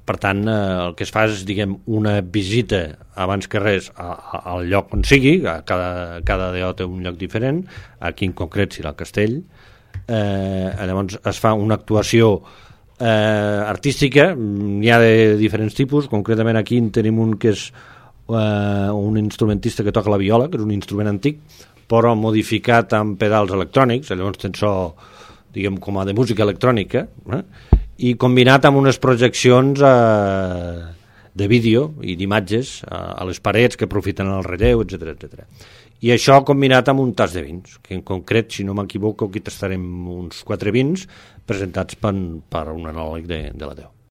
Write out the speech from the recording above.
Per tant, el que es fa és, diguem, una visita abans que res al lloc on sigui, cada DO té un lloc diferent, aquí en concret serà el castell. Llavors es fa una actuació artística, n'hi ha de diferents tipus, concretament aquí en tenim un que és un instrumentista que toca la viola, que és un instrument antic, però modificat amb pedals electrònics, llavors tens so, diguem, com a de música electrònica, i combinat amb unes projeccions de vídeo i d'imatges a les parets que aprofiten el relleu, etc etc. I això combinat amb un tas de vins, que en concret, si no m'equivoco, aquí tastarem uns 4 vins presentats per un anàleg de la DO.